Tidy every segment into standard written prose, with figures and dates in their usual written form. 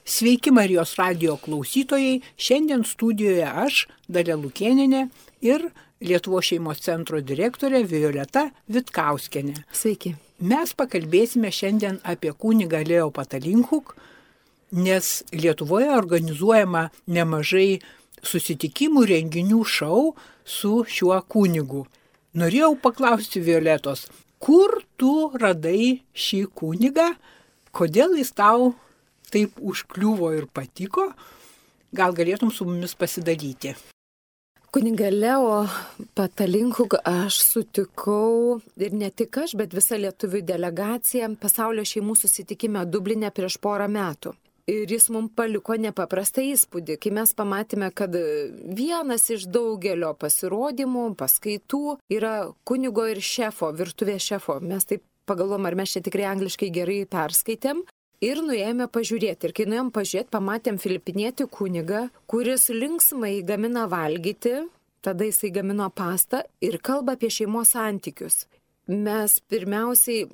Sveiki Marijos radijo klausytojai, šiandien studijoje aš, Dalia Lukėnienė ir Lietuvos šeimos centro direktorė Violeta Vitkauskienė. Sveiki. Mes pakalbėsime šiandien apie kunigą Leo Patalinchuk, nes Lietuvoje organizuojama nemažai susitikimų, renginių, šou su šiuo kunigu. Norėjau paklausti Violetos, kur tu radai šį kunigą, kodėl jis tau taip užkliuvo ir patiko, gal galėtum su mumis pasidalyti. Kunigą Leo Patalinchuk aš sutikau ir ne tik aš, bet visa lietuvių delegacija pasaulio šeimų susitikime Dubline prieš porą metų. Ir jis mums paliko nepaprastą įspūdį, kai mes pamatėme, kad vienas iš daugelio pasirodymų, paskaitų yra kunigo ir šefo, virtuvės šefo. Mes taip pagalvom, ar mes čia tikrai angliškai gerai perskaitėm. Ir nuėjome pažiūrėti. Ir kai nuėjom pažiūrėti, pamatėm filipinietį kunigą, kuris linksmai gamina valgyti, tada jisai gamino pastą ir kalba apie šeimos santykius. Mes pirmiausiai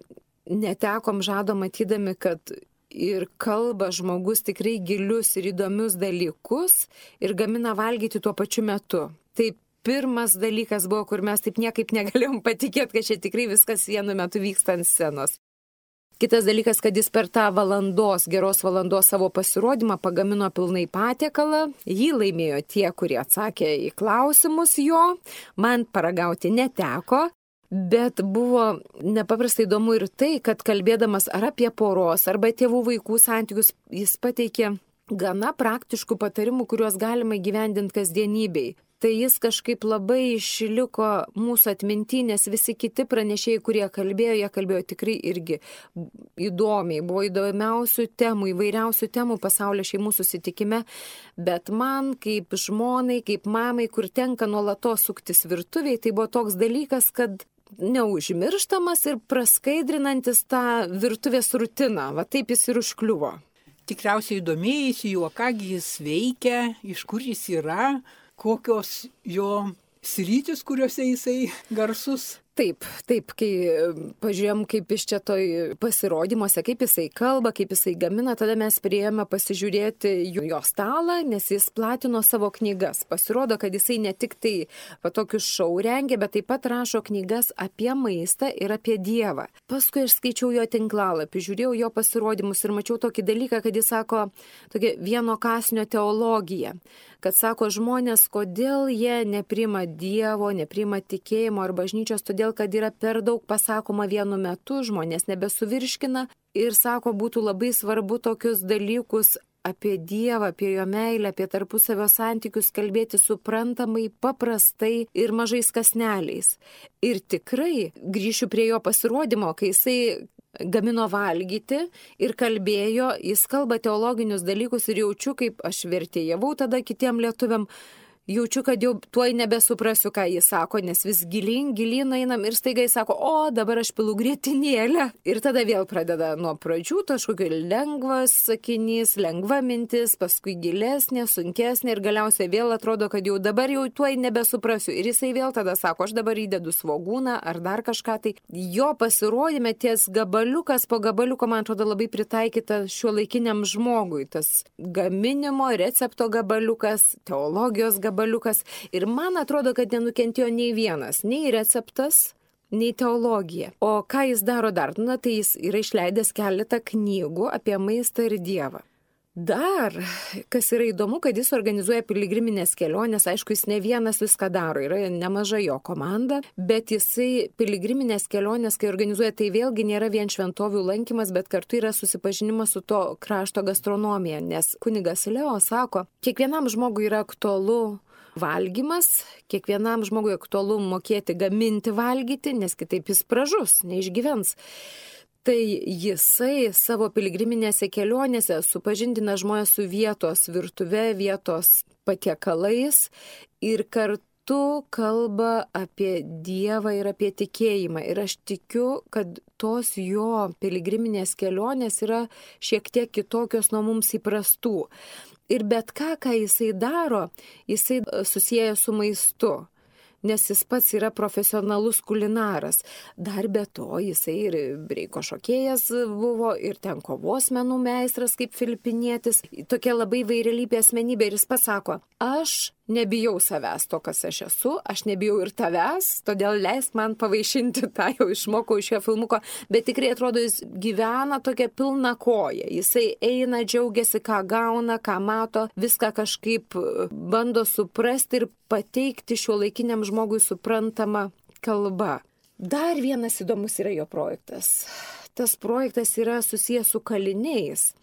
netekom žado matydami, kad ir kalba žmogus tikrai gilius ir įdomius dalykus ir gamina valgyti tuo pačiu metu. Tai pirmas dalykas buvo, kur mes taip niekaip negalėjom patikėti, kad čia tikrai viskas vienu metu vyksta ant scenos. Kitas dalykas, kad jis per tą geros valandos savo pasirodymą pagamino pilnai patiekalą. Jį laimėjo tie, kurie atsakė į klausimus jo. Man paragauti neteko, bet buvo nepaprastai įdomu ir tai, kad kalbėdamas ar apie poros, arba tėvų vaikų santykius, jis pateikė gana praktiškų patarimų, kuriuos galima įgyvendinti kasdienybei. Tai jis kažkaip labai išliko mūsų atminty, nes visi kiti pranešėjai, kurie kalbėjo, jie kalbėjo tikrai irgi įdomiai. Buvo įdomiausių temų, įvairiausių temų pasaulio šeimų susitikime, bet man kaip žmonai, kaip mamai, kur tenka nuolatos suktis virtuviai, tai buvo toks dalykas, kad neužmirštamas ir praskaidrinantis tą virtuvės rutiną. Va taip jis ir užkliuvo. Tikriausiai domėjasi juo, kągi jis veikia, iš kur jis yra, kokios jo sritis, kuriuose jisai garsus. Taip, kai pažiūrėjom, kaip iš čia toj pasirodymuose, kaip jisai kalba, kaip jisai gamina, tada mes priėjome pasižiūrėti jo stalą, nes jis platino savo knygas. Pasirodo, kad jisai ne tik tai tokius šou rengia, bet taip pat rašo knygas apie maistą ir apie Dievą. Paskui aš skaičiau jo tinklalapį, žiūrėjau jo pasirodymus ir mačiau tokį dalyką, kad jis sako tokia vieno kąsnio teologija. Kad sako žmonės, kodėl jie nepriima Dievo, nepriima tikėjimo ar bažnyčios, todėl kad yra per daug pasakoma vienu metu, žmonės nebesuvirškina ir sako, būtų labai svarbu tokius dalykus apie Dievą, apie jo meilę, apie tarpusavio santykius kalbėti suprantamai, paprastai ir mažais kąsneliais. Ir tikrai grįšiu prie jo pasirodymo, kai jisai gamino valgyti ir kalbėjo, jis kalba teologinius dalykus ir jaučiu, kaip aš vertėjavau tada kitiem lietuviam, jaučiu, kad jau tuoj nebesuprasiu, ką jis sako, nes vis gilyn einam ir staiga jis sako, o dabar aš pilu grietinėlę. Ir tada vėl pradeda nuo pradžių, kažkokio lengvas sakinys, lengva mintis, paskui gilesnė, sunkesnė ir galiausiai vėl atrodo, kad jau dabar jau tuoj nebesuprasiu. Ir jisai vėl tada sako, aš dabar įdedu svogūną ar dar kažką. Tai jo pasirodyme ties gabaliukas po gabaliuko, man atrodo, labai pritaikyta šiuolaikiniam žmogui. Tas gaminimo, recepto gabaliukas, teologijos gabaliukas. Ir man atrodo, kad nenukentėjo nei vienas, nei receptas, nei teologija. O ką jis daro dar? Na, tai jis yra išleidęs keletą knygų apie maistą ir Dievą. Dar, kas yra įdomu, kad jis organizuoja piligriminės kelionės, aišku, jis ne vienas viską daro, yra nemaža jo komanda, bet jisai piligriminės kelionės, kai organizuoja, tai vėlgi nėra vien šventovių lankymas, bet kartu yra susipažinimas su to krašto gastronomija, nes kunigas Leo sako, kiekvienam žmogui yra aktualu valgymas, kiekvienam žmogui aktualu mokėti gaminti valgyti, nes kitaip jis pražus, neišgyvens. Tai jisai savo piligriminėse kelionėse supažindina žmonės su vietos virtuve, vietos patiekalais ir kartu kalba apie Dievą ir apie tikėjimą. Ir aš tikiu, kad tos jo piligriminės kelionės yra šiek tiek kitokios nuo mums įprastų. Ir bet ką jisai daro, jisai susieja su maistu. nes jis pats yra profesionalus kulinaras. Dar be to jisai ir breiko šokėjas buvo, ir ten kovos menų meistras kaip filipinietis. Tokia labai įvairialypė asmenybė ir jis pasako, aš nebijau savęs to, kas aš esu, aš nebijau ir tavęs, todėl leisk man pavaišinti, tą jau išmokau iš šio filmuko, bet tikrai atrodo, jis gyvena tokia pilna koja, jisai eina, džiaugiasi, ką gauna, ką mato, viską kažkaip bando suprasti ir pateikti šiuolaikiniam žmogui suprantamą kalbą. Dar vienas įdomus yra jo projektas. Tas projektas yra susijęs su kaliniais.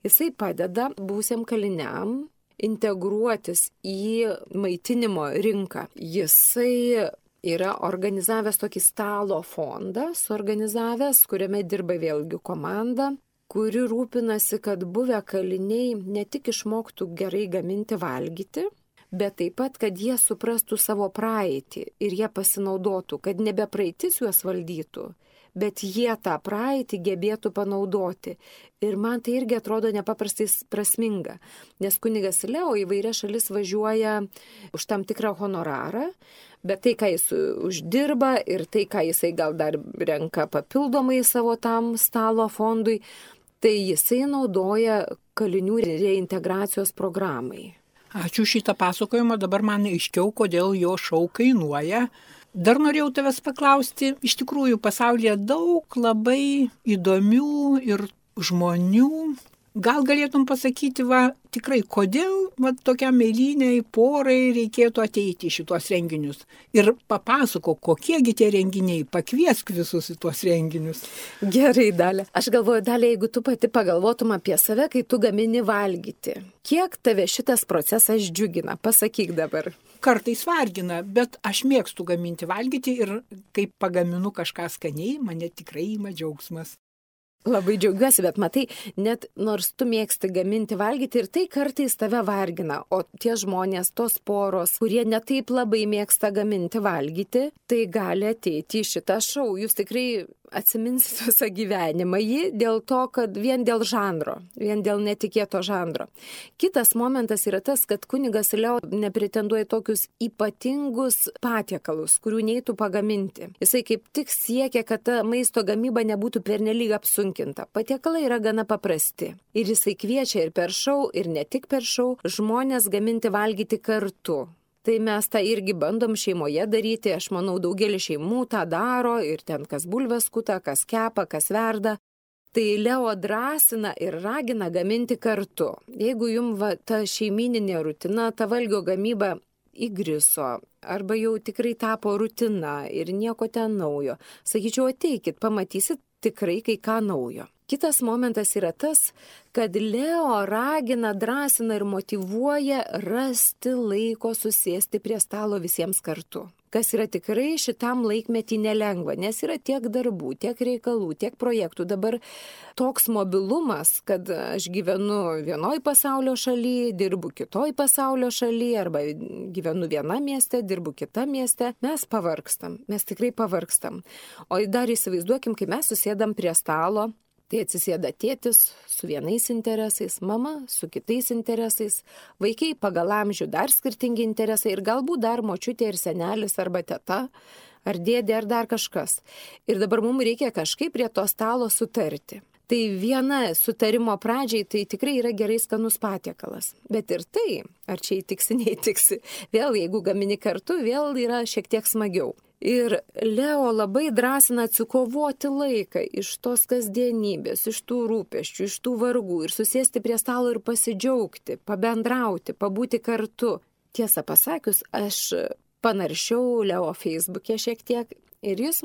Jisai padeda būsiam kaliniam integruotis į maitinimo rinką. Jisai yra organizavęs tokį stalo fondą, kuriame dirba vėlgi komanda, kuri rūpinasi, kad buvę kaliniai ne tik išmoktų gerai gaminti valgyti, bet taip pat, kad jie suprastų savo praeitį ir jie pasinaudotų, kad nebe praeitis juos valdytų, bet jie tą praeitį gebėtų panaudoti. Ir man tai irgi atrodo nepaprastai prasminga, nes kunigas Leo į vairias šalis važiuoja už tam tikrą honorarą, bet tai, ką jis uždirba ir tai, ką jisai gal dar renka papildomai savo tam stalo fondui, tai jisai naudoja kalinių reintegracijos programai. Ačiū šitą pasakojimą, dabar man aiškiau, kodėl jo šou kainuoja. Dar norėjau tavęs paklausti, iš tikrųjų pasaulyje daug labai įdomių ir žmonių. Gal galėtum pasakyti, tikrai, kodėl tokiam eiliniai porai reikėtų ateiti į šitos renginius? Ir papasakok, kokiegi tie renginiai, pakviesk visus į tuos renginius. Gerai, Dalia. Aš galvoju, Dalia, jeigu tu pati pagalvotum apie save, kai tu gamini valgyti, kiek tave šitas procesas džiugina? Pasakyk dabar. Kartais vargina, bet aš mėgstu gaminti valgyti ir kai pagaminu kažką skaniai, mane tikrai ima džiaugsmas. Labai džiaugiuosi, bet matai, net nors tu mėgsti gaminti valgyti ir tai kartais tave vargina, o tie žmonės, tos poros, kurie netaip labai mėgsta gaminti valgyti, tai gali ateiti į šitą šou. Jūs tikrai atsiminsite visą gyvenimą jį dėl to, kad vien dėl žanro, vien dėl netikėto žanro. Kitas momentas yra tas, kad kunigas Leo nepretenduoja tokius ypatingus patiekalus, kurių neitų pagaminti. Jisai kaip tik siekia, kad ta maisto gamyba nebūtų pernelyg apsunkinta. Patiekalai yra gana paprasti. Ir jisai kviečia ir per šou, ir ne tik per šou, žmonės gaminti valgyti kartu. Tai mes tą irgi bandom šeimoje daryti, aš manau, daugelis šeimų tą daro ir ten kas bulves skuta, kas kepa, kas verda. Tai Leo drąsina ir ragina gaminti kartu. Jeigu jums ta šeimininė rutina, ta valgio gamyba įgriso, arba jau tikrai tapo rutina ir nieko ten naujo, sakyčiau, ateikit, pamatysit tikrai kai ką naujo. Kitas momentas yra tas, kad Leo ragina, drąsina ir motyvuoja rasti laiko susėsti prie stalo visiems kartu. Kas yra tikrai šitam laikmetį nelengva, nes yra tiek darbų, tiek reikalų, tiek projektų. Dabar toks mobilumas, kad aš gyvenu vienoj pasaulio šaly, dirbu kitoj pasaulio šaly, arba gyvenu viena mieste, dirbu kita mieste, mes pavargstam, mes tikrai pavargstam. O dar įsivaizduokim, kai mes susėdam prie stalo, tai atsisėda tėtis su vienais interesais, mama su kitais interesais, vaikai pagal amžių dar skirtingi interesai ir galbūt dar močiutė ir senelis arba teta, ar dėdė ar dar kažkas. Ir dabar mums reikia kažkaip prie to stalo sutarti. Tai viena sutarimo pradžiai tai tikrai yra gerai skanus patiekalas. Bet ir tai, ar čia įtiksi, neįtiksi, vėl jeigu gamini kartu, vėl yra šiek tiek smagiau. Ir Leo labai drąsina atsikovoti laiką iš tos kasdienybės, iš tų rūpesčių, iš tų vargų ir susėsti prie stalo ir pasidžiaugti, pabendrauti, pabūti kartu. Tiesą pasakius, aš panaršiau Leo Facebook'e šiek tiek ir jis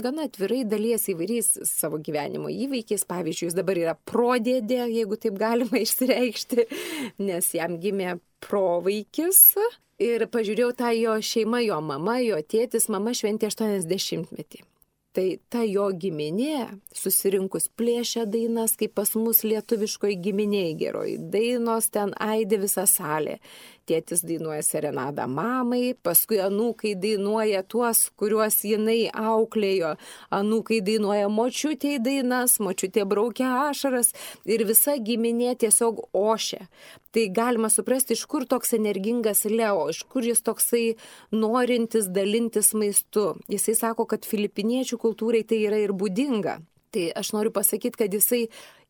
gana atvirai dalijasi įvairiais savo gyvenimo įvykiais. Pavyzdžiui, jis dabar yra prodėdė, jeigu taip galima išsireikšti, nes jam gimė provaikis. Ir pažiūrėjau tą jo šeimą, jo mama, jo tėtis, mama šventė 80-metį. Tai ta jo giminė susirinkus plėšia dainas, kaip pas mus lietuviškoji giminėj geroji. Dainos ten aidi visą salę. tėtis dainuoja serenadą mamai, paskui anūkai dainuoja tuos, kuriuos jinai auklėjo, anūkai dainuoja močiutei dainas, močiutė braukia ašaras ir visa giminė tiesiog ošia. Tai galima suprasti, iš kur toks energingas Leo, iš kur jis toksai norintis dalintis maistu. Jisai sako, kad filipiniečių kultūrai tai yra ir būdinga. Tai aš noriu pasakyti, kad jisai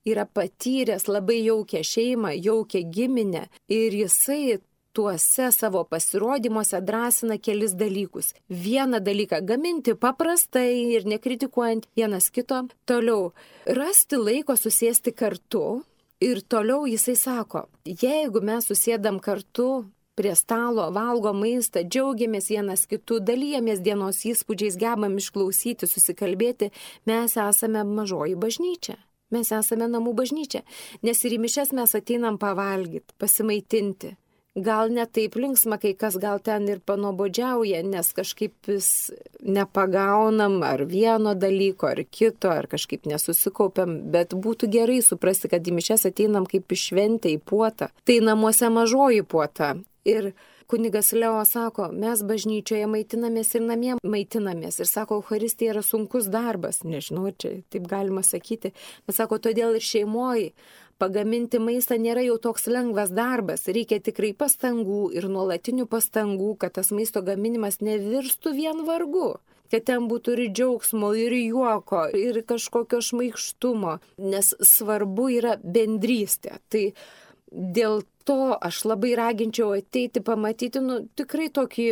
yra patyręs labai jaukią šeimą, jaukią giminę ir jisai tuose savo pasirodymuose drąsina kelis dalykus. Vieną dalyką gaminti paprastai ir nekritikuojant vienas kito. Toliau rasti laiko susėsti kartu ir toliau jisai sako, jeigu mes susėdam kartu prie stalo, valgo maistą, džiaugiamės vienas kitų, dalyjamės dienos įspūdžiais, gebam išklausyti, susikalbėti, mes esame mažoji bažnyčia. Mes esame namų bažnyčia, nes ir į mišias mes ateinam pavalgyti, pasimaitinti. Gal ne taip linksma, kai kas gal ten ir panobodžiauja, nes kažkaip vis nepagaunam ar vieno dalyko, ar kito, ar kažkaip nesusikaupiam, bet būtų gerai suprasti, kad į mišias ateinam kaip į šventę, į puotą. Tai namuose mažoji puota. Ir kunigas Leo sako, mes bažnyčioje maitinamės ir namie maitinamės. Ir sako, Eucharistija yra sunkus darbas. Nežinau, čia taip galima sakyti. Bet sako, todėl ir šeimoje pagaminti maistą nėra jau toks lengvas darbas. Reikia tikrai pastangų ir nuolatinių pastangų, kad tas maisto gaminimas nevirstų vien vargu. Kad ten būtų ir džiaugsmo, ir juoko, ir kažkokio šmaikštumo. Nes svarbu yra bendrystė. Tai dėl to aš labai raginčiau ateiti pamatyti, tikrai tokį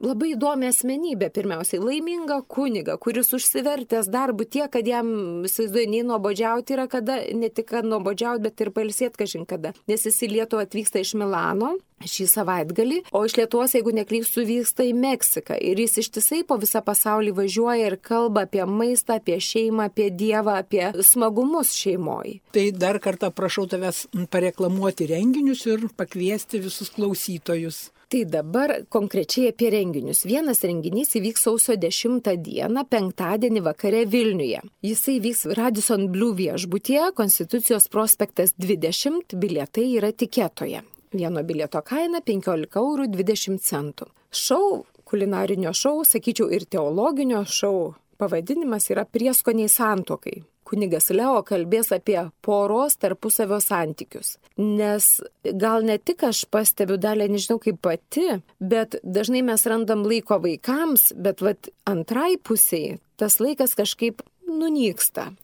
labai įdomią asmenybę, pirmiausiai laimingą kunigą, kuris užsivertęs darbu tiek, kad jam, įsivaizduoju, nei nuobodžiauti yra kada, ne tik kad nuobodžiauti, bet ir pailsėti kažin kada. Nes jis į Lietuvą atvyksta iš Milano šį savaitgalį, o iš Lietuvos, jeigu neklystu, vyksta į Meksiką. Ir jis ištisai po visą pasaulį važiuoja ir kalba apie maistą, apie šeimą, apie Dievą, apie smagumus šeimoje. Tai dar kartą prašau tavęs pareklamuoti renginius ir pakviesti visus klausytojus. Tai dabar konkrečiai apie renginius. Vienas renginys įvyks sausio 10 dieną, penktadienį vakare Vilniuje. Jisai vyks Radisson Blu viešbutyje, Konstitucijos prospektas 20, bilietai yra tiketoje. Vieno bilieto kaina 15,20 €. Šou, kulinarinio šou, sakyčiau ir teologinio šou pavadinimas yra Prieskoniai santuokai. Kunigas Leo kalbės apie poros tarpusavio santykius. Nes gal ne tik aš pastebiu, Dalia, nežinau kaip pati, bet dažnai mes randam laiko vaikams, bet antrai pusiai tas laikas kažkaip nunyksta.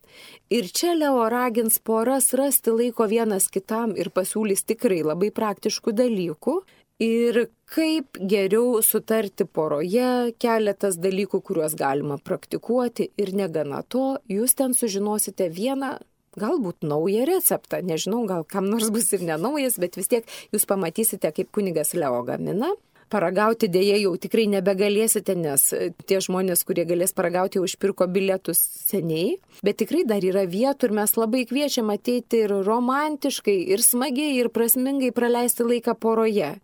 Ir čia Leo ragins poras rasti laiko vienas kitam ir pasiūlys tikrai labai praktiškų dalykų. Ir kaip geriau sutarti poroje, keletas dalykų, kuriuos galima praktikuoti ir negana to, jūs ten sužinosite vieną, galbūt naują receptą. Nežinau, gal kam nors bus ir nenaujas, bet vis tiek jūs pamatysite, kaip kunigas Leo gamina. Paragauti dėja jau tikrai nebegalėsite, nes tie žmonės, kurie galės paragauti, jau išpirko bilietus seniai. Bet tikrai dar yra vietų ir mes labai kviečiam ateiti ir romantiškai, ir smagiai, ir prasmingai praleisti laiką poroje.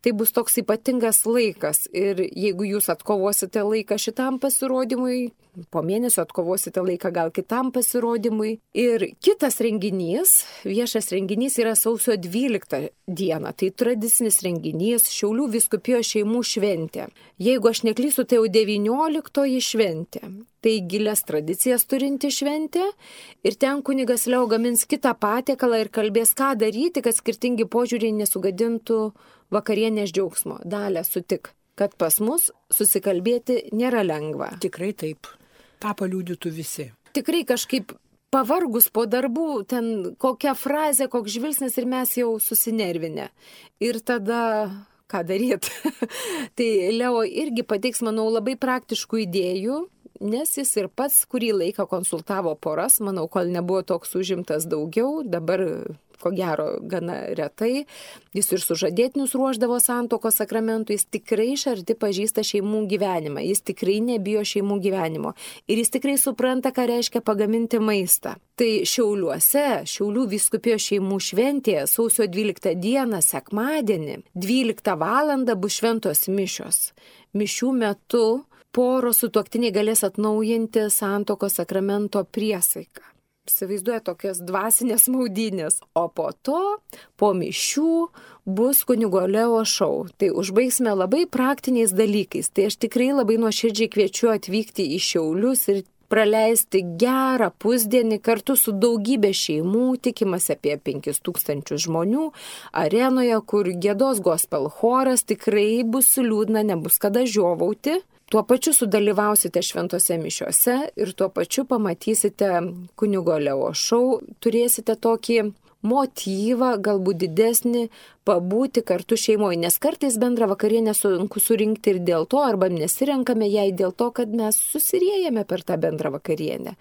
Tai bus toks ypatingas laikas ir jeigu jūs atkovosite laiką šitam pasirodymui, po mėnesio atkovosite laiką gal kitam pasirodymui. Ir kitas renginys, viešas renginys yra sausio 12 dieną. Tai tradicinis renginys Šiaulių vyskupijos šeimų šventė. Jeigu aš neklystu, tai jau 19 šventė. Tai gilias tradicijas turinti šventė ir ten kunigas Leo gamins kitą patiekalą ir kalbės, ką daryti, kad skirtingi požiūriai nesugadintų vakarienės džiaugsmo. Dalia, sutik, kad pas mus susikalbėti nėra lengva. Tikrai taip. Ta paliudytų visi. Tikrai kažkaip pavargus po darbų, ten kokia frazė, koks žvilgsnis ir mes jau susinervinę. Ir tada ką daryti? Tai Leo irgi pateiks, manau, labai praktiškų idėjų, nes jis ir pats kurį laiką konsultavo poras, manau, kol nebuvo toks užimtas daugiau, dabar ko gero gana retai. Jis ir sužadėtinius ruošdavo santuokos sakramentų, jis tikrai iš arti pažįsta šeimų gyvenimą, jis tikrai nebijo šeimų gyvenimo ir jis tikrai supranta, ką reiškia pagaminti maistą. Tai Šiauliuose, Šiaulių vyskupijos šeimų šventėje, sausio 12 dieną, sekmadienį, 12 valandą bus šventos mišios. Mišių metu poros sutuoktiniai galės atnaujinti santuokos sakramento priesaiką. Įsivaizduoja tokias dvasinės maudynės. O po to, po mišių, bus kunigo Leo šou. Tai užbaigsime labai praktiniais dalykais. Tai aš tikrai labai nuoširdžiai kviečiu atvykti į Šiaulius ir praleisti gerą pusdienį kartu su daugybė šeimų, tikimasi apie 5000 žmonių, arenoje, kur giedos gospel choras, tikrai bus liūdna, nebus kada žiovauti. Tuo pačiu sudalyvausite šventose mišiose ir tuo pačiu pamatysite kunigo Leo šou, turėsite tokį motyvą, galbūt didesnį, pabūti kartu šeimoje, nes kartais bendrą vakarienę sunku surinkti ir dėl to, arba nesirenkame jai dėl to, kad mes susiriejame per tą bendrą vakarienę.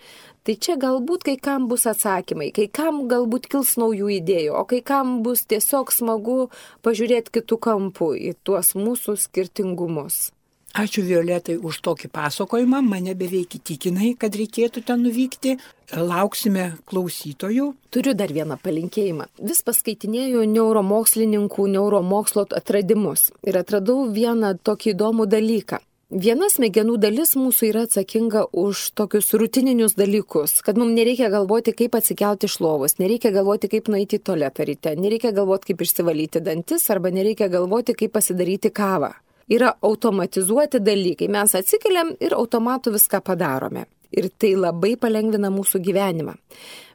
Tai čia galbūt kai kam bus atsakymai, kai kam galbūt kils naujų idėjų, o kai kam bus tiesiog smagu pažiūrėti kitų kampų į tuos mūsų skirtingumus. Ačiū Violetai už tokį pasakojimą, mane beveik įtikinai, kad reikėtų ten nuvykti. Lauksime klausytojų. Turiu dar vieną palinkėjimą. Vis paskaitinėjau neuromokslininkų, neuromokslo atradimus ir atradau vieną tokį įdomų dalyką. Viena smegenų dalis mūsų yra atsakinga už tokius rutininius dalykus, kad mums nereikia galvoti, kaip atsikelti iš lovos, nereikia galvoti, kaip nueiti į tualetą ryte, nereikia galvoti, kaip išsivalyti dantis arba nereikia galvoti, kaip pasidaryti kavą. Yra automatizuoti dalykai. Mes atsikeliam ir automatu viską padarome. Ir tai labai palengvina mūsų gyvenimą.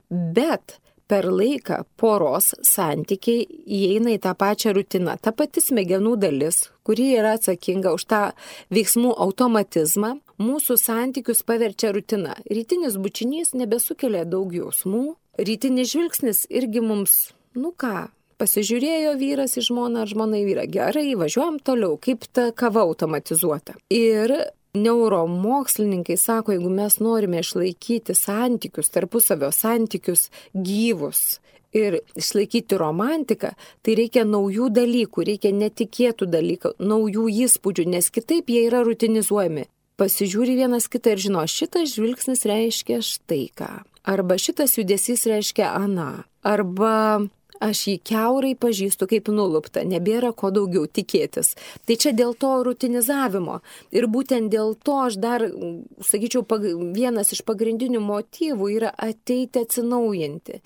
Bet per laiką poros santykiai įeina į tą pačią rutiną. Ta pati smegenų dalis, kuri yra atsakinga už tą veiksmų automatizmą, mūsų santykius paverčia rutina. Rytinis bučinys nebesukelia daug jausmų. Rytinis žvilgsnis irgi mums, pasižiūrėjo vyras į žmoną ar žmona į vyrą. Gerai, važiuojam toliau, kaip ta kava automatizuota. Ir neuromokslininkai sako, jeigu mes norime išlaikyti santykius, tarpusavio santykius gyvus ir išlaikyti romantiką, tai reikia naujų dalykų, reikia netikėtų dalykų, naujų įspūdžių, nes kitaip jie yra rutinizuojami. Pasižiūri vienas kitą ir žino, šitas žvilgsnis reiškia štai ką. Arba šitas judesys reiškia aną. Arba aš jį kiaurai pažįstu kaip nulupta, nebėra ko daugiau tikėtis. Tai čia dėl to rutinizavimo. Ir būtent dėl to aš dar, sakyčiau, vienas iš pagrindinių motyvų yra ateiti atsinaujinti.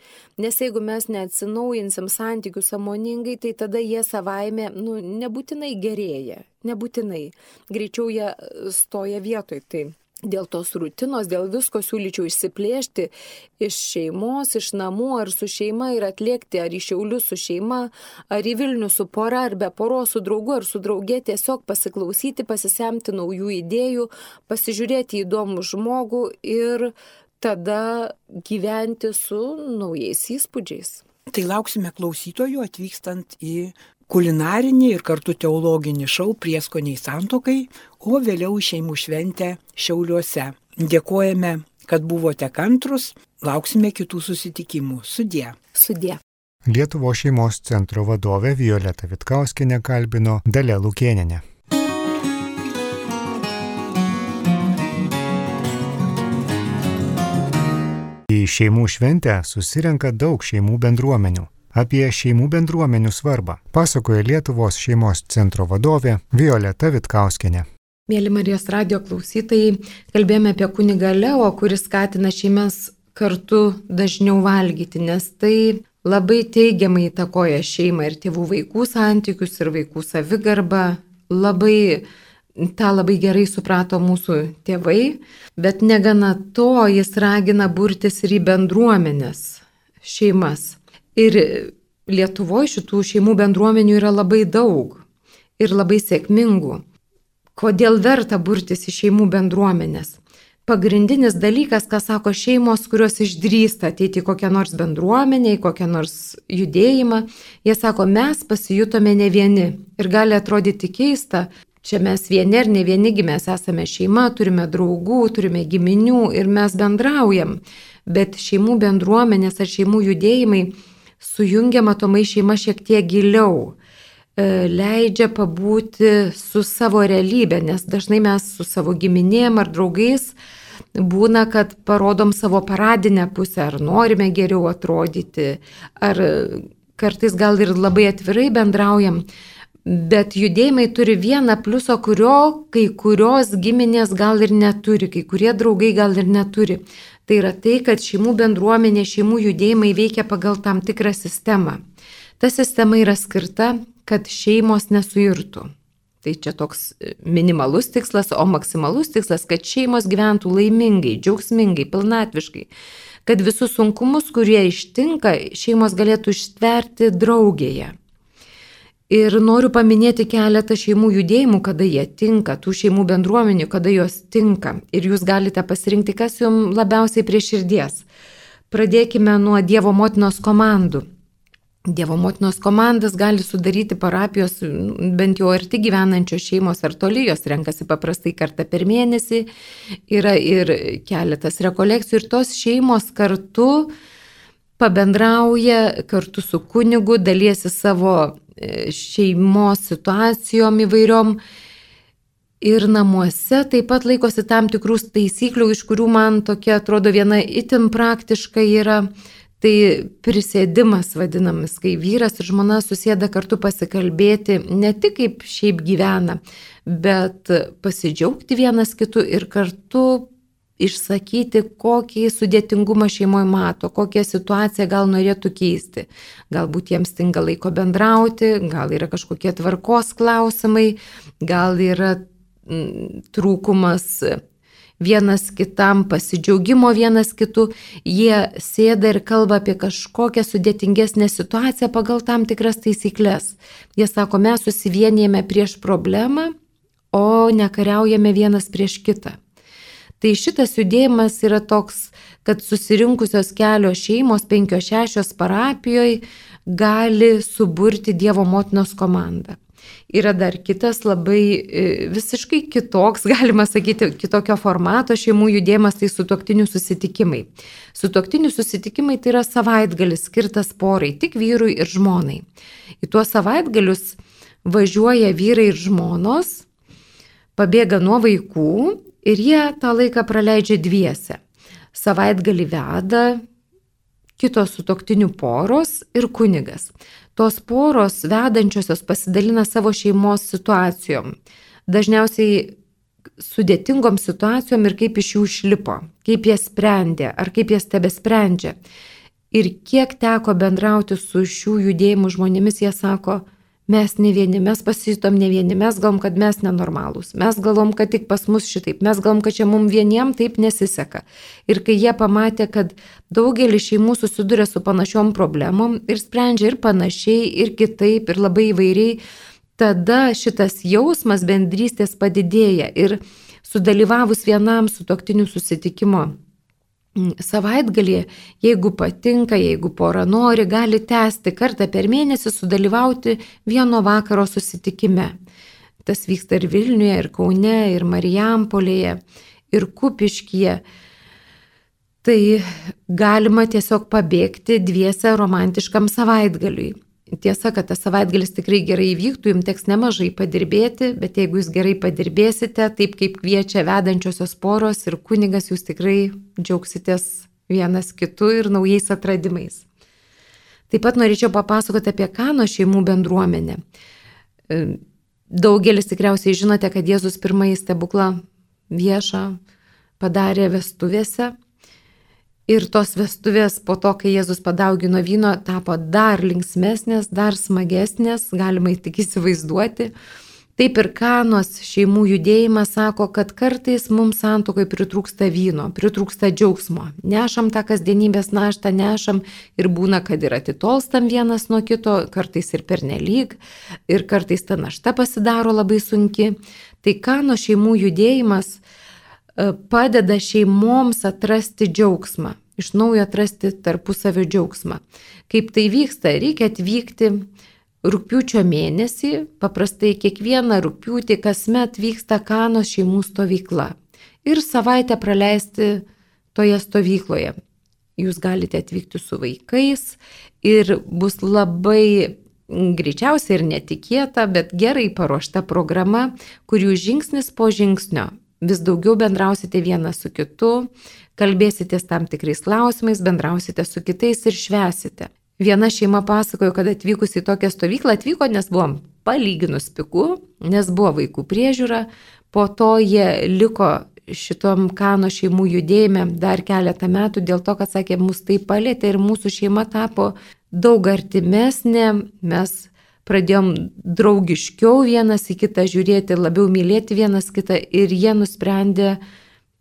Nes jeigu mes neatsinaujinsim santykių sąmoningai, tai tada jie savaime nebūtinai gerėja. Nebūtinai. Greičiau jie stoja vietoj. Tai dėl tos rutinos, dėl visko siūlyčiau išsiplėšti iš šeimos, iš namų ar su šeima ir atlėkti ar į Šiaulius su šeima, ar į Vilnių su pora, ar be poros, su draugu ar su drauge, tiesiog pasiklausyti, pasisemti naujų idėjų, pasižiūrėti į įdomų žmogų ir tada gyventi su naujais įspūdžiais. Tai lauksime klausytojų atvykstant į kulinarinį ir kartu teologinį šou Prieskoniai santuokai, o vėliau šeimų šventę Šiauliuose. Dėkojame, kad buvote kantrus, lauksime kitų susitikimų. Sudie. Sudie. Lietuvos šeimos centro vadovė Violeta Vitkauskienė kalbino Dalia Lukėnienė. Į šeimų šventę susirenka daug šeimų bendruomenių. Apie šeimų bendruomenių svarbą pasakoja Lietuvos šeimos centro vadovė Violeta Vitkauskienė. Mėly Marijos radijo klausytojai, kalbėjome apie kunigą Leo, kuris skatina šeimas kartu dažniau valgyti, nes tai labai teigiamai įtakoja šeimą ir tėvų vaikų santykius ir vaikų savigarbą. tą labai gerai suprato mūsų tėvai, bet negana to jis ragina burtis ir į bendruomenės, šeimas. Ir Lietuvoje šitų šeimų bendruomenių yra labai daug ir labai sėkmingų. Kodėl verta burtis į šeimų bendruomenės? Pagrindinis dalykas, ką sako šeimos, kurios išdrįsta ateiti į kokią nors bendruomenę, į kokią nors judėjimą, jie sako, mes pasijutome ne vieni. Ir gali atrodyti keista, čia mes vieni ar ne vienigi, mes esame šeima, turime draugų, turime giminių ir mes bendraujam. Bet šeimų bendruomenės ar šeimų judėjimai sujungia matomai šeima šiek tiek giliau. Leidžia pabūti su savo realybė, nes dažnai mes su savo giminėm ar draugais būna, kad parodom savo paradinę pusę, ar norime geriau atrodyti, ar kartais gal ir labai atvirai bendraujam, Bet judėjimai turi vieną pliusą, kurio kai kurios giminės gal ir neturi, kai kurie draugai gal ir neturi. Tai yra tai, kad šeimų bendruomenė, šeimų judėjimai veikia pagal tam tikrą sistemą. Ta sistema yra skirta, kad šeimos nesuirtų. Tai čia toks minimalus tikslas, o maksimalus tikslas, kad šeimos gyventų laimingai, džiaugsmingai, pilnatviškai. Kad visus sunkumus, kurie ištinka, šeimos galėtų ištverti draugėje. Ir noriu paminėti keletą šeimų judėjimų, kada jie tinka, tų šeimų bendruomenių, kada jos tinka. Ir jūs galite pasirinkti, kas jums labiausiai prie širdies. Pradėkime nuo Dievo motinos komandų. Dievo motinos komandas gali sudaryti parapijos, bent jau arti gyvenančios šeimos ar toli, jos renkasi paprastai kartą per mėnesį. Yra ir keletas rekolekcijų ir tos šeimos kartu pabendrauja, kartu su kunigu, dalyjasi savo šeimos situacijom įvairiom ir namuose taip pat laikosi tam tikrų taisyklių, iš kurių man tokia atrodo viena itin praktiška yra, tai prisėdimas vadinamas, kai vyras ir žmona susėda kartu pasikalbėti ne tik kaip šiaip gyvena, bet pasidžiaugti vienas kitu ir kartu išsakyti, kokį sudėtingumą šeimoje mato, kokią situaciją gal norėtų keisti. Galbūt jiems stinga laiko bendrauti, gal yra kažkokie tvarkos klausimai, gal yra trūkumas vienas kitam, pasidžiaugimo vienas kitu. Jie sėda ir kalba apie kažkokią sudėtingesnę situaciją pagal tam tikras taisyklės. Jie sako, mes susivienijame prieš problemą, o nekariaujame vienas prieš kitą. Tai šitas judėjimas yra toks, kad susirinkusios kelios šeimos, 5-6 parapijoje gali suburti Dievo motinos komandą. Yra dar kitas labai visiškai kitoks, galima sakyti, kitokio formato šeimų judėjimas, tai sutuoktinių susitikimai. Sutuoktinių susitikimai tai yra savaitgalis skirtas porai, tik vyrui ir žmonai. Į tuos savaitgalius važiuoja vyrai ir žmonos, pabėga nuo vaikų, ir jie tą laiką praleidžia dviese. Savaitgalį veda kitos sutuoktinių poros ir kunigas. Tos poros vedančiosios pasidalina savo šeimos situacijom. Dažniausiai sudėtingom situacijom ir kaip iš jų išlipo, kaip jie sprendė ar kaip jie tebesprendžia. Ir kiek teko bendrauti su šių judėjimų žmonėmis, jie sako, mes ne vieni, mes pasijutom ne vieni, mes galvom, kad mes nenormalūs, mes galvom, kad tik pas mus šitaip, mes galvom, kad čia mums vieniem taip nesiseka. Ir kai jie pamatė, kad daugelis šeimų susiduria su panašiom problemom ir sprendžia ir panašiai, ir kitaip, ir labai įvairiai, tada šitas jausmas bendrystės padidėja ir sudalyvavus vienam sutuoktinių susitikimo savaitgalį, jeigu patinka, jeigu pora nori, gali tęsti kartą per mėnesį sudalyvauti vieno vakaro susitikime. Tas vyksta ir Vilniuje, ir Kaune, ir Marijampolėje, ir Kupiškyje. Tai galima tiesiog pabėgti dviese romantiškam savaitgaliui. Tiesa, kad tas savaitgalis tikrai gerai įvyktų, jums teks nemažai padirbėti, bet jeigu jūs gerai padirbėsite, taip kaip kviečia vedančiosios poros ir kunigas, jūs tikrai džiaugsitės vienas kitu ir naujais atradimais. Taip pat norėčiau papasakoti apie Kano šeimų bendruomenę. Daugelis tikriausiai žinote, kad Jėzus pirmąjį stebuklą viešą padarė vestuvėse. Ir tos vestuvės po to, kai Jėzus padaugino vyno, tapo dar linksmesnės, dar smagesnės, galima tik įsivaizduoti. Taip ir Kanos šeimų judėjimas sako, kad kartais mums santuokai pritrūksta vyno, pritrūksta džiaugsmo. Nešam tą kasdienybės naštą, nešam ir būna, kad ir atitolstam vienas nuo kito, kartais ir pernelyg, ir kartais ta našta pasidaro labai sunki. Tai Kano šeimų judėjimas padeda šeimoms atrasti džiaugsmą, iš naujo atrasti tarpusavio džiaugsmą. Kaip tai vyksta? Reikia atvykti rugpjūčio mėnesį, paprastai kiekvieną rugpjūtį kasmet vyksta Kanos šeimų stovykla ir savaitę praleisti toje stovykloje. Jūs galite atvykti su vaikais ir bus labai greičiausiai ir netikėta, bet gerai paruošta programa, kur jūs žingsnis po žingsnio vis daugiau bendrausite vienas su kitu, kalbėsitės tam tikrais klausimais, bendrausite su kitais ir švęsite. Viena šeima pasakojo, kad atvykus į tokią stovyklą atvyko, nes buvom palyginus pigu, nes buvo vaikų priežiūra, po to jie liko šitom Kano šeimų judėjime dar keletą metų dėl to, kad sakė, mus tai palėtė ir mūsų šeima tapo daug artimesnė, mes pradėjom draugiškiau vienas į kitą žiūrėti, labiau mylėti vienas kitą ir jie nusprendė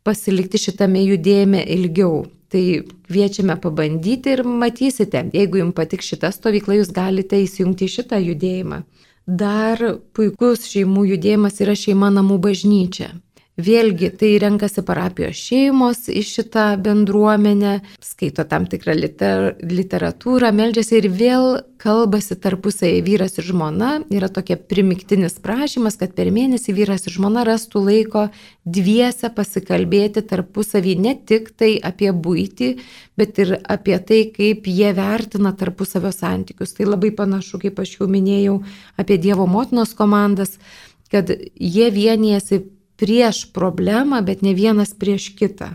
pasilikti šitame judėjime ilgiau. Tai kviečiame pabandyti ir matysite, jeigu jums patiks šita stovykla, jūs galite įsijungti į šitą judėjimą. Dar puikus šeimų judėjimas yra šeima namų bažnyčia. Vėlgi, tai renkasi parapijos šeimos į šitą bendruomenę, skaito tam tikrą literatūrą, meldžiasi ir vėl kalbasi tarpusai vyras ir žmona. Yra tokia primiktinis prašymas, kad per mėnesį vyras ir žmona rastų laiko dviese pasikalbėti tarpusavį ne tik tai apie buitį, bet ir apie tai, kaip jie vertina tarpusavio santykius. Tai labai panašu, kaip aš jau minėjau, apie Dievo motinos komandas, kad jie vienijasi prieš problemą, bet ne vienas prieš kitą.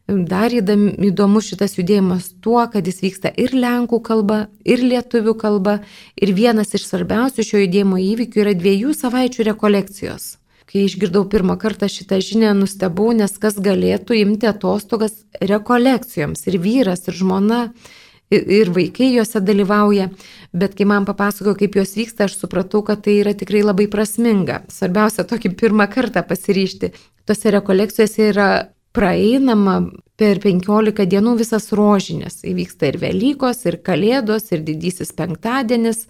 Dar įdomus šitas judėjimas tuo, kad jis vyksta ir lenkų kalba, ir lietuvių kalba. Ir vienas iš svarbiausių šio judėjimo įvykių yra 2 savaičių rekolekcijos. Kai išgirdau pirmą kartą šitą žinią, nustebau, nes kas galėtų imti atostogas rekolekcijoms. Ir vyras, ir žmona, ir vaikai juose dalyvauja. Bet kai man papasakojo, kaip jos vyksta, aš supratau, kad tai yra tikrai labai prasminga. Svarbiausia, tokį pirmą kartą pasiryžti. Tose rekolekcijose yra praeinama per 15 dienų visas rožinės. Įvyksta ir Velykos, ir Kalėdos, ir Didysis penktadienis.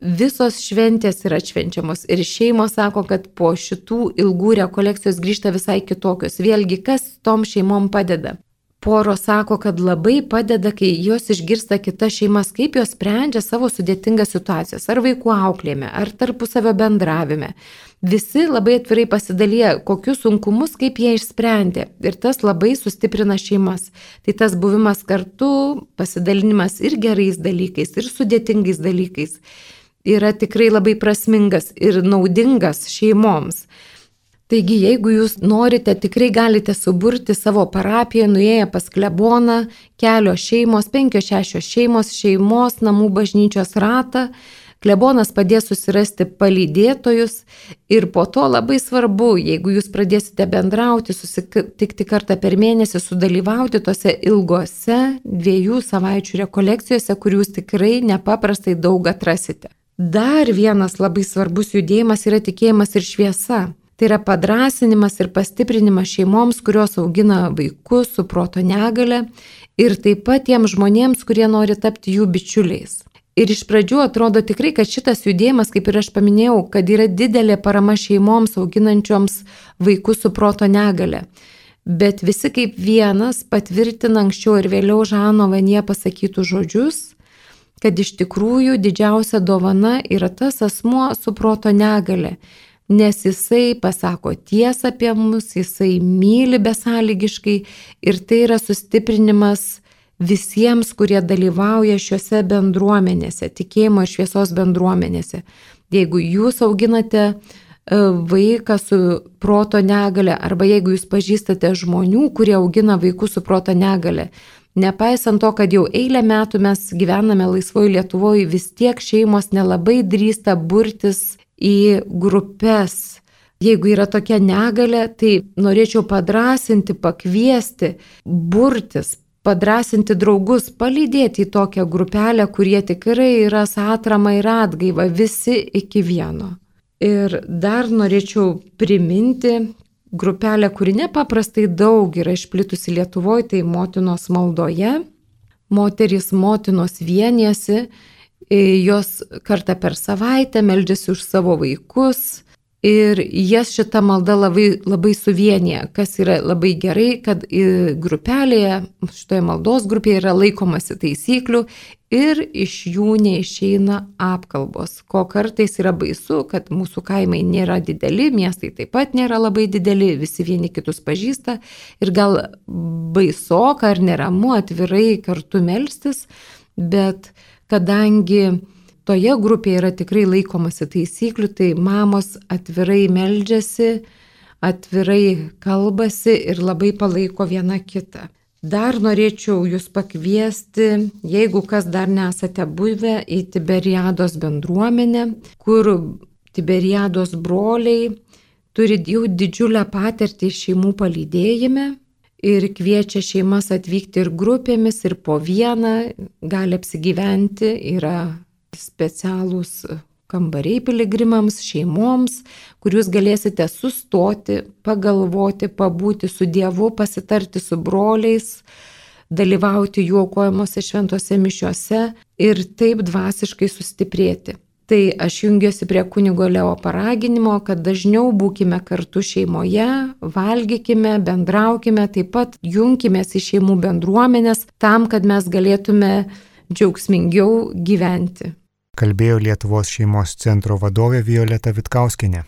Visos šventės yra atšvenčiamos. Ir šeimos sako, kad po šitų ilgų rekolekcijos grįžta visai kitokios. Vėlgi, kas tom šeimom padeda? Poros sako, kad labai padeda, kai jos išgirsta kitas šeimas, kaip jos sprendžia savo sudėtingas situacijas, ar vaikų auklėjime, ar tarpusavio bendravime. Visi labai atvirai pasidalyja, kokius sunkumus, kaip jie išsprendė. Ir tas labai sustiprina šeimas. Tai tas buvimas kartu, pasidalinimas ir gerais dalykais, ir sudėtingais dalykais yra tikrai labai prasmingas ir naudingas šeimoms. Taigi, jeigu jūs norite, tikrai galite suburti savo parapiją, nuėję pas kleboną, kelios šeimos, 5-6 šeimos namų bažnyčios ratą. Klebonas padės susirasti palydėtojus ir po to labai svarbu, jeigu jūs pradėsite bendrauti, susitikti kartą per mėnesį, sudalyvauti tose ilgose 2 savaičių rekolekcijose, kur jūs tikrai nepaprastai daug atrasite. Dar vienas labai svarbus judėjimas yra tikėjimas ir šviesa. Tai yra padrasinimas ir pastiprinimas šeimoms, kurios augina vaikus su proto negale ir taip pat tiems žmonėms, kurie nori tapti jų bičiuliais. Ir iš pradžių atrodo tikrai, kad šitas judėjimas, kaip ir aš paminėjau, kad yra didelė parama šeimoms auginančioms vaikus su proto negale. Bet visi kaip vienas patvirtina anksčiau ir vėliau Žano Vanie pasakytų žodžius, kad iš tikrųjų didžiausia dovana yra tas asmuo su proto negale. Nes jisai pasako tiesą apie mus, jisai myli besąlygiškai ir tai yra sustiprinimas visiems, kurie dalyvauja šiuose bendruomenėse, tikėjimo ir šviesos bendruomenėse. Jeigu jūs auginate vaiką su proto negale arba jeigu jūs pažįstate žmonių, kurie augina vaikus su proto negale, nepaisant to, kad jau eilę metų mes gyvename laisvoje Lietuvoje, vis tiek šeimos nelabai drįsta burtis į grupės. Jeigu yra tokia negalė, tai norėčiau padrasinti, pakviesti, burtis, padrasinti draugus, palydėti į tokią grupelę, kurie tikrai yra atrama ir atgaiva, visi iki vieno. Ir dar norėčiau priminti grupelę, kuri nepaprastai daug yra išplitusi Lietuvoje, tai motinos maldoje. Motinos vienijasi, jos kartą per savaitę meldžiasi už savo vaikus ir jas šita malda labai suvienyje, kas yra labai gerai, kad grupelėje, šitoje maldos grupėje yra laikomasi taisyklių ir iš jų neišeina apkalbos, ko kartais yra baisu, kad mūsų kaimai nėra dideli, miestai taip pat nėra labai dideli, visi vieni kitus pažįsta ir gal baisoka ar neramu atvirai kartu melstis, bet kadangi toje grupėje yra tikrai laikomasi taisyklių, tai mamos atvirai meldžiasi, atvirai kalbasi ir labai palaiko viena kitą. Dar norėčiau jūs pakviesti, jeigu kas dar nesate buvę, į Tiberiados bendruomenę, kur Tiberiados broliai turi jau didžiulę patirtį šeimų palydėjime ir kviečia šeimas atvykti ir grupėmis, ir po vieną, gali apsigyventi, yra specialūs kambariai piligrimams, šeimoms, kur jūs galėsite sustoti, pagalvoti, pabūti su Dievu, pasitarti su broliais, dalyvauti jų aukojimuose šventose mišiuose ir taip dvasiškai sustiprėti. Tai aš jungiuosi prie kunigo Leo paraginimo, kad dažniau būkime kartu šeimoje, valgykime, bendraukime, taip pat junkimės į šeimų bendruomenės tam, kad mes galėtume džiaugsmingiau gyventi. Kalbėjo Lietuvos šeimos centro vadovė Violeta Vitkauskienė.